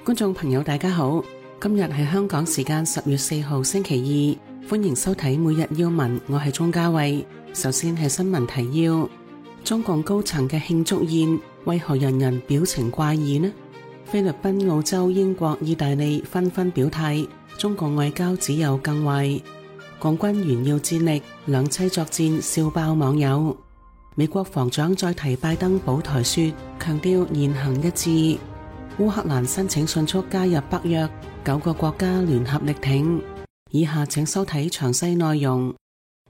觀眾朋友大家好，今日係香港時間10月4號星期二，歡迎收睇每日要聞，我係鍾嘉慧。首先係新聞提要：中共高層嘅慶祝宴為何人人表情怪異呢？菲律賓、澳洲、英國、意大利紛紛表態，中共外交只有更壞。共軍炫耀戰力，兩棲作戰笑爆網友。美國防長再提拜登保台說，強調言行一致。烏克蘭申請迅速加入北約，9個國家聯合力挺。以下請收睇詳細內容。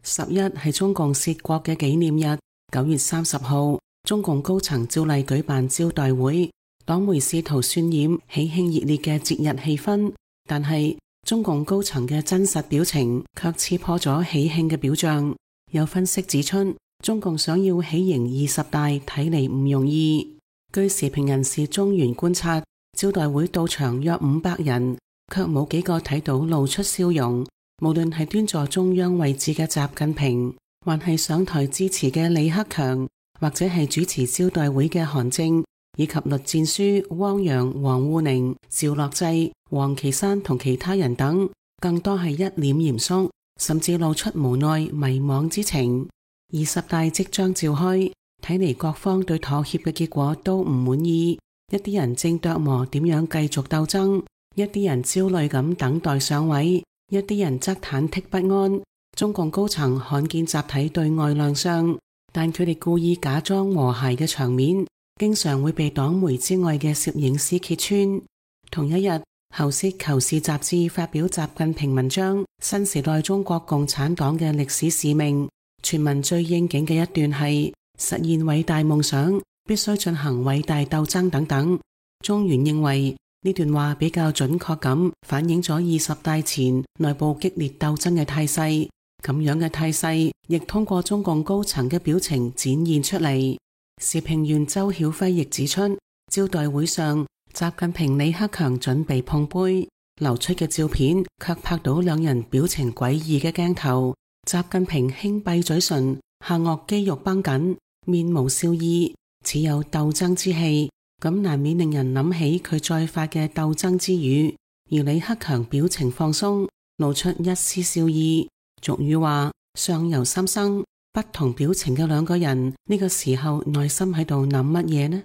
11係中共涉國嘅紀念日，9月30號，中共高層照例舉辦招待會，黨媒試圖渲染喜慶熱烈嘅節日氣氛，但係中共高層嘅真實表情卻刺破咗喜慶嘅表象。有分析指出，中共想要喜迎20大睇嚟唔容易。據時評人士中原觀察，招待會到場約500人，卻冇幾個睇到露出笑容。無論係端坐中央位置嘅習近平，還係上台致辭嘅李克強，或者係主持招待會嘅韓正，以及栗戰書、汪洋、王滬寧、趙樂際、王岐山同其他人等，更多係一臉嚴肅，甚至露出無奈迷惘之情。20大即將召開，睇嚟各方對妥協嘅結果都唔滿意，一啲人正琢磨點樣繼續鬥爭，一啲人焦慮咁等待上位，一啲人則忐忑不安。中共高層罕見集體對外亮相，但佢哋故意假裝和諧嘅場面，經常會被黨媒之外嘅攝影師揭穿。同一日，《喉舌求是》雜誌發表習近平文章《新時代中國共產黨嘅歷史使命》，全文最應景嘅一段係實現偉大夢想必須進行偉大鬥爭等等。中原認為呢段話比較準確咁反映咗20大前內部激烈鬥爭嘅態勢，咁樣嘅態勢亦通過中共高層嘅表情展現出嚟。時評員周曉輝亦指出，招待會上習近平、李克強準備碰杯，流出嘅照片卻拍到兩人表情詭異嘅鏡頭。習近平輕閉嘴唇，下顎肌肉繃緊，面無笑意，似有鬥爭之氣，咁難免令人諗起佢再發嘅鬥爭之語。而李克強表情放鬆，露出一絲笑意。俗語話相由心生，不同表情嘅兩個人呢個時候內心喺度諗乜嘢呢？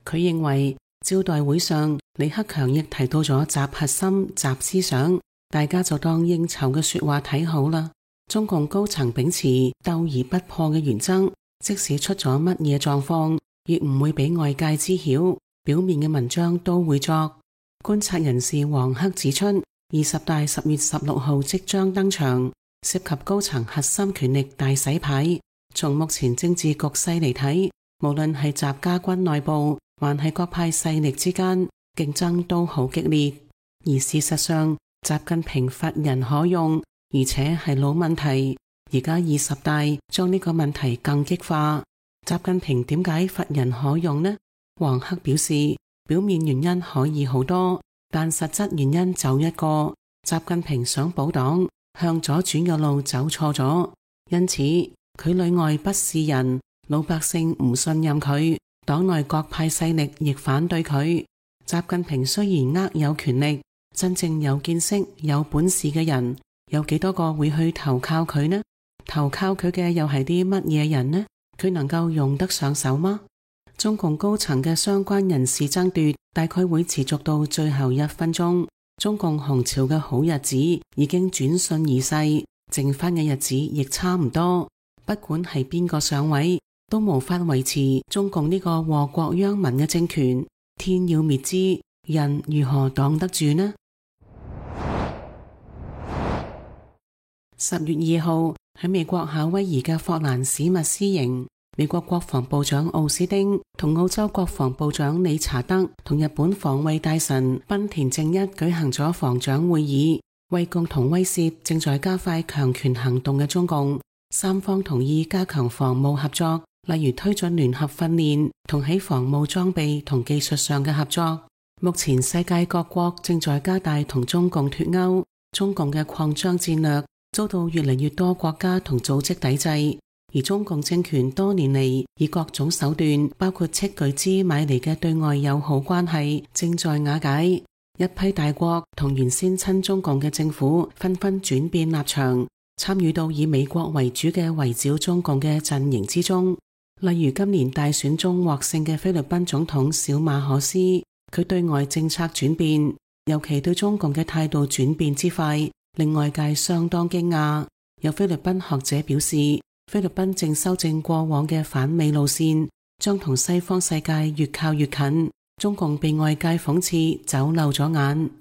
佢認為招待會上李克強亦提到咗習核心、習思想，大家就當應酬嘅說話睇好啦。中共高層秉持鬥而不破嘅原則，即使出咗乜嘢狀況，亦唔會俾外界知曉，表面嘅文章都會作。觀察人士黃克指出，20大10月16號即將登場，涉及高層核心權力大洗牌。從目前政治局勢嚟睇，無論係習家軍內部，還係各派勢力之間，競爭都好激烈。而事實上，習近平乏人可用，而且係老問題，而家20大將呢個問題更激化。習近平點解乏人可用呢？黃克表示，表面原因可以好多，但實質原因就一個，習近平想保黨，向左轉嘅路走錯咗，因此佢裏外不是人，老百姓唔信任佢，黨內各派勢力亦反對佢。習近平雖然握有權力，真正有見識、有本事嘅人有幾多個會去投靠佢呢？投靠佢嘅又係啲乜嘢人呢？佢能夠用得上手嗎？中共高層嘅相關人事爭奪大概會持續到最後1分鐘。中共紅潮嘅好日子已經轉瞬而逝，剩翻嘅日子亦差唔多。不管係邊個上位，都無法維持中共呢個禍國殃民嘅政權。天要滅之，人如何擋得住呢？10月2號喺美國夏威夷嘅霍蘭史密斯營，美國國防部長奧斯汀同澳洲國防部長理查德同日本防衛大臣濱田正一舉行咗防長會議，為共同威懾正在加快強權行動嘅中共，三方同意加強防務合作，例如推進聯合訓練同喺防務裝備同技術上嘅合作。目前世界各國正在加大同中共脫鈎，中共嘅擴張戰略遭到越嚟越多國家同組織抵制，而中共政權多年嚟以各種手段，包括斥巨資買嚟嘅對外友好關係，正在瓦解。一批大國同原先親中共嘅政府紛紛轉變立場，參與到以美國為主嘅圍剿中共嘅陣營之中。例如今年大選中獲勝嘅菲律賓總統小馬可斯，佢對外政策轉變，尤其對中共嘅態度轉變之快，令外界相當驚訝。有菲律賓學者表示，菲律賓正修正過往嘅反美路線，將同西方世界越靠越近。中共被外界諷刺走漏咗眼。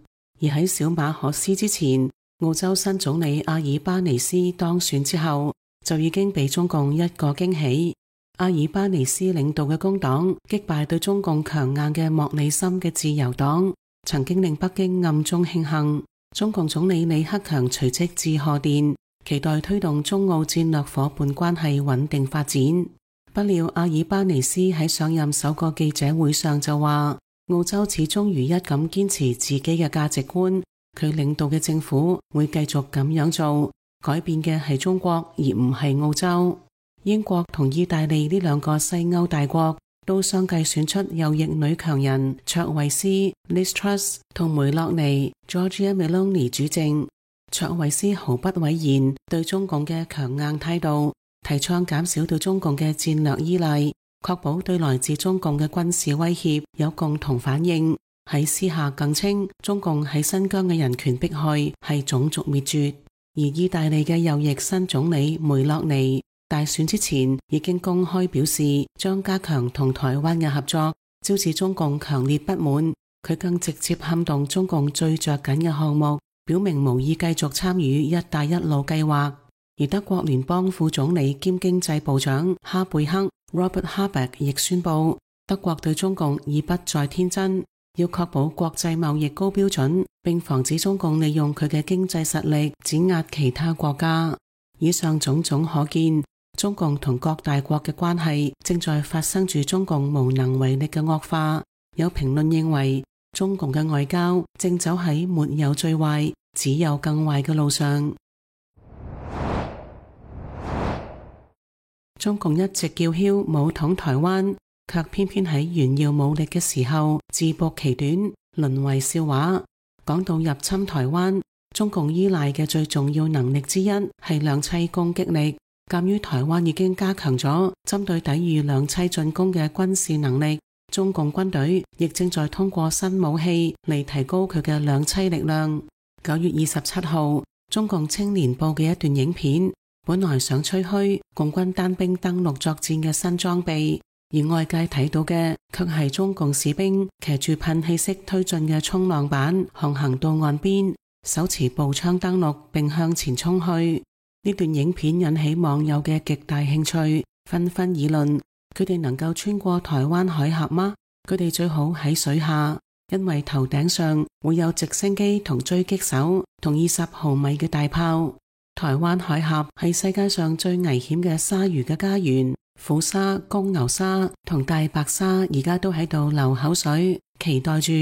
而喺小馬可斯之前，澳洲新總理阿爾巴尼斯當選之後，就已經俾中共一個驚喜。阿爾巴尼斯領導嘅工黨擊敗對中共強硬嘅莫里森嘅自由黨，曾經令北京暗中慶幸。中共總理李克強隨即致賀電，期待推動中澳戰略夥伴關係穩定發展。不料阿爾巴尼斯喺上任首個記者會上就話，澳洲始終如一咁堅持自己嘅價值觀，佢領導嘅政府會繼續咁樣做，改變嘅係中國而唔係澳洲。英國同意大利呢兩個西歐大國都相繼選出右翼女強人卓慧思 Liz Truss 同梅洛尼 Giorgia Meloni 主政。卓慧思毫不諱言對中共嘅強硬態度，提倡減少對中共嘅戰略依賴，確保對來自中共嘅軍事威脅有共同反應。喺私下更稱中共喺新疆嘅人權迫害係種族滅絕。而意大利嘅右翼新總理梅洛尼大選之前已經公開表示將加強同台灣嘅合作，招致中共強烈不滿。佢更直接撼動中共最着緊嘅項目，表明無意繼續參與一帶一路計劃。而德國聯邦副總理兼經濟部長哈貝克 Robert Habeck 亦宣布，德國對中共已不再天真，要確保國際貿易高標準，並防止中共利用佢嘅經濟實力碾壓其他國家。以上種種可見，中共同各大國嘅關係正在發生住中共無能為力嘅惡化。有評論認為，中共嘅外交正走喺沒有最壞，只有更壞嘅路上。中共一直叫囂武統台灣，卻偏偏喺炫耀武力嘅時候自曝其短，淪為笑話。講到入侵台灣，中共依賴嘅最重要能力之一係兩棲攻擊力。鑒於台灣已經加強咗針對抵禦兩棲進攻嘅軍事能力，中共軍隊亦正在通過新武器嚟提高佢嘅兩棲力量。9月27號，中共青年報嘅一段影片，本來想吹噓共軍單兵登陸作戰嘅新裝備，而外界睇到嘅卻係中共士兵騎住噴氣式推進嘅衝浪板航行到岸邊，手持步槍登陸並向前衝去。呢段影片引起網友嘅極大興趣，紛紛議論：佢哋能夠穿過台灣海峽嗎？佢哋最好喺水下，因為頭頂上會有直升機同狙擊手同20毫米嘅大炮。台灣海峽係世界上最危險嘅鯊魚嘅家園，虎鯊、公牛鯊同大白鯊而家都喺度流口水，期待住。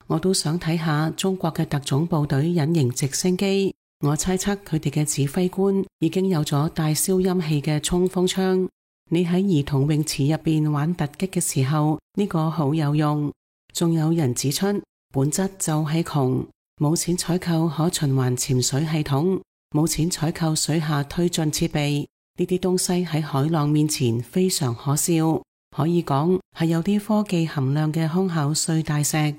我都想睇下中國嘅特種部隊隱形直升機。我猜測佢哋嘅指揮官已經有咗帶消音器嘅衝鋒槍。你喺兒童泳池入邊玩突擊嘅時候，呢個好有用。仲有人指出，本質就係窮，冇錢採購可循環潛水系統，冇錢採購水下推進設備，呢啲東西喺海浪面前非常可笑，可以講係有啲科技含量嘅空口碎大石。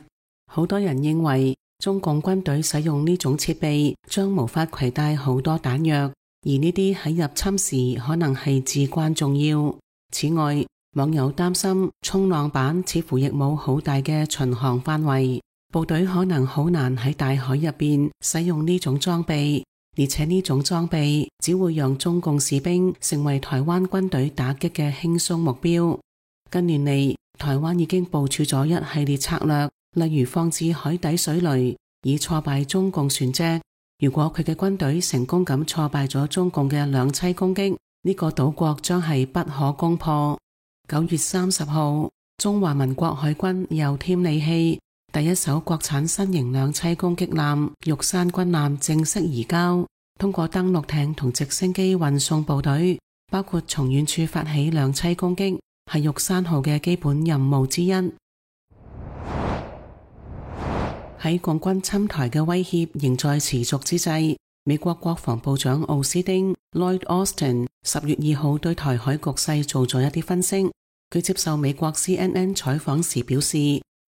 好多人認為中共軍隊使用呢種設備將無法攜帶好多彈藥，而呢啲喺入侵時可能係至關重要。此外，網友擔心衝浪板似乎亦冇好大嘅巡航範圍，部隊可能好難喺大海入邊使用呢種裝備，而且呢種裝備只會讓中共士兵成為台灣軍隊打擊嘅輕鬆目標。近年嚟，台灣已經部署咗一系列策略，例如放置海底水雷，以挫敗中共船隻。如果佢嘅軍隊成功咁挫敗咗中共嘅兩棲攻擊，呢個島國將係不可攻破。9月30號，中華民國海軍又添利器，第一艘國產新型兩棲攻擊艦玉山軍艦正式移交，通過登陸艇同直升機運送部隊，包括從遠處發起兩棲攻擊，係玉山號嘅基本任務之一。喺共軍侵台嘅威脅仍在持續之際，美國國防部長奧斯汀 Lloyd Austin 10月2號對台海局勢做咗一啲分析。佢接受美國 CNN 採訪時表示，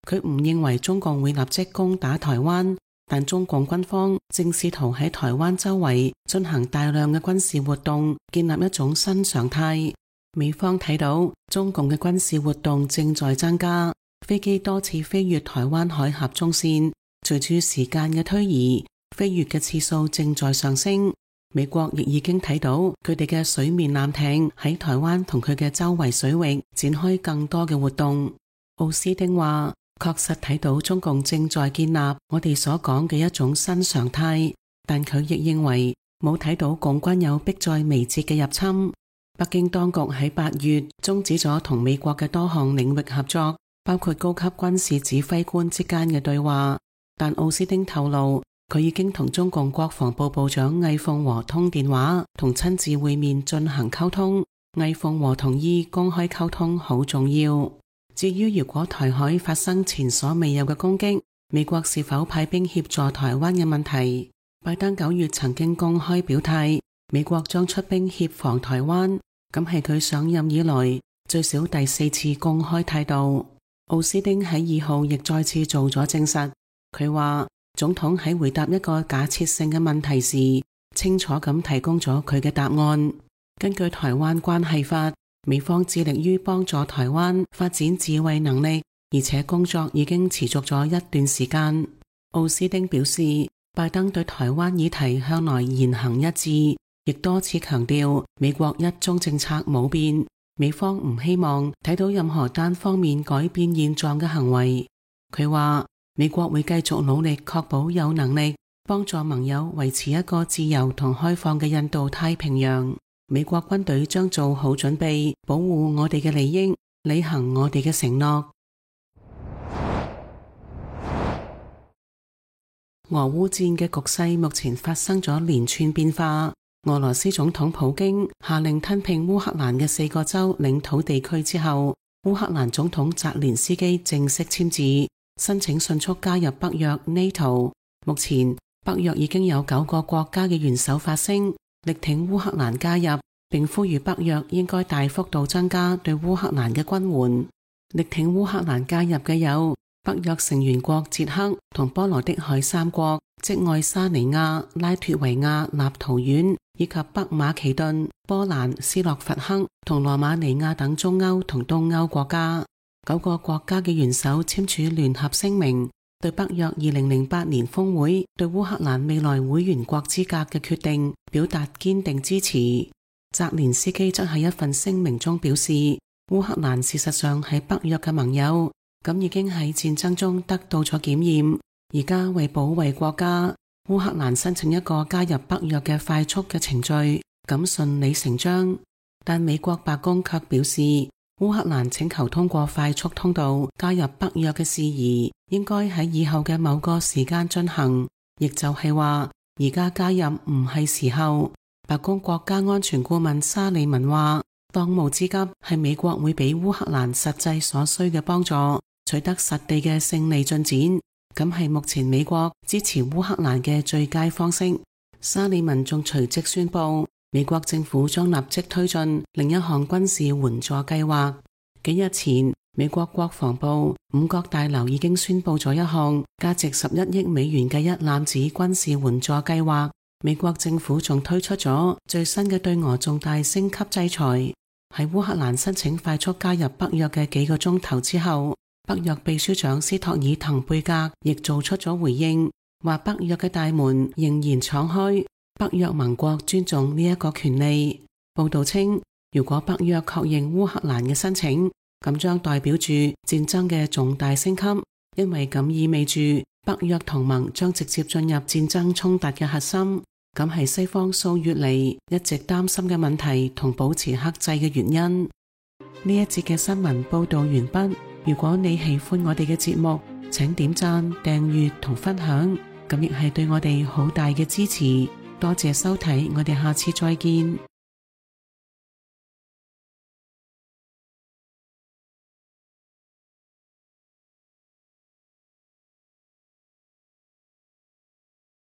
佢唔認為中共會立即攻打台灣，但中共軍方正試圖喺台灣周圍進行大量嘅軍事活動，建立一種新常態。美方睇到中共嘅軍事活動正在增加，飛機多次飛越台灣海峽中線，隨住時間嘅推移，飛越嘅次數正在上升。美國亦已經睇到佢哋嘅水面艦艇喺台灣同佢嘅周圍水域展開更多嘅活動。奧斯汀話，確實睇到中共正在建立我哋所講嘅一種新常態，但佢亦認為冇睇到共軍有迫在眉睫嘅入侵。北京當局喺8月終止咗同美國嘅多項領域合作，包括高級軍事指揮官之間嘅對話。但奧斯汀透露，佢已經同中共國防部部長魏鳳和通電話，同親自會面進行溝通。魏鳳和同意公開溝通好重要。至於如果台海發生前所未有嘅攻擊，美國是否派兵協助台灣嘅問題，拜登9月曾經公開表態，美國將出兵協防台灣，咁係佢上任以來最少第4次公開態度。奧斯汀喺2號亦再次做咗證實，佢話總統喺回答一個假設性嘅問題時，清楚咁提供咗佢嘅答案。根據台灣關係法，美方致力於幫助台灣發展自衛能力，而且工作已經持續咗一段時間。奧斯汀表示，拜登對台灣議題向來言行一致，亦多次強調美國一中政策冇變，美方唔希望睇到任何單方面改變現狀嘅行為。佢話，美國會繼續努力確保有能力幫助盟友維持一個自由同開放嘅印度太平洋。美國軍隊將做好準備，保護我哋嘅利益，履行我哋嘅承諾。俄烏戰嘅局勢目前發生咗連串變化。俄羅斯總統普京下令吞併烏克蘭嘅4個州領土地區之後，烏克蘭總統澤連斯基正式簽字，申請迅速加入北約 NATO。目前北約已經有9個國家嘅元首發聲，力挺烏克蘭加入，並呼籲北約應該大幅度增加對烏克蘭嘅軍援。力挺烏克蘭加入嘅有北約成員國捷克同波羅的海3國，即愛沙尼亞、拉脫維亞、立陶宛以及北馬其頓、波蘭、斯洛伐克同羅馬尼亞等中歐同東歐國家。9個國家嘅元首簽署聯合聲明，對北約2008年峰會對烏克蘭未來會員國資格嘅決定表達堅定支持。澤連斯基則喺一份聲明中表示，烏克蘭事實上係北約嘅盟友，咁已經喺戰爭中得到咗檢驗。而家為保衛國家，烏克蘭申請一個加入北約嘅快速嘅程序，咁順理成章。但美國白宮卻表示，烏克蘭請求通過快速通道加入北約嘅事宜，應該喺以後嘅某個時間進行，亦就係話而家加入唔係時候。白宮國家安全顧問沙利文話，當務之急係美國會俾烏克蘭實際所需嘅幫助，取得實地嘅勝利進展，咁係目前美國支持烏克蘭嘅最佳方式。沙利文仲隨即宣布，美國政府將立即推進另一項軍事援助計劃。幾日前，美國國防部5角大樓已經宣布咗一項價值11億美元嘅一攬子軍事援助計劃。美國政府仲推出咗最新嘅對俄重大升級制裁。喺烏克蘭申請快速加入北約嘅幾個鐘頭之後，北約秘書長斯托爾滕貝格亦做出咗回應，話北約嘅大門仍然敞開，北約盟國尊重呢一個權利。報道稱，如果北約確認烏克蘭嘅申請，咁將代表住戰爭嘅重大升級，因為咁意味住北約同盟將直接進入戰爭衝突嘅核心，咁係西方數月嚟一直擔心嘅問題同保持克制嘅原因。呢一節嘅新聞報道完畢。如果你喜歡我哋嘅節目，請點讚、訂閱同分享，咁亦係對我哋好大嘅支持。多謝收睇，我哋下次再見。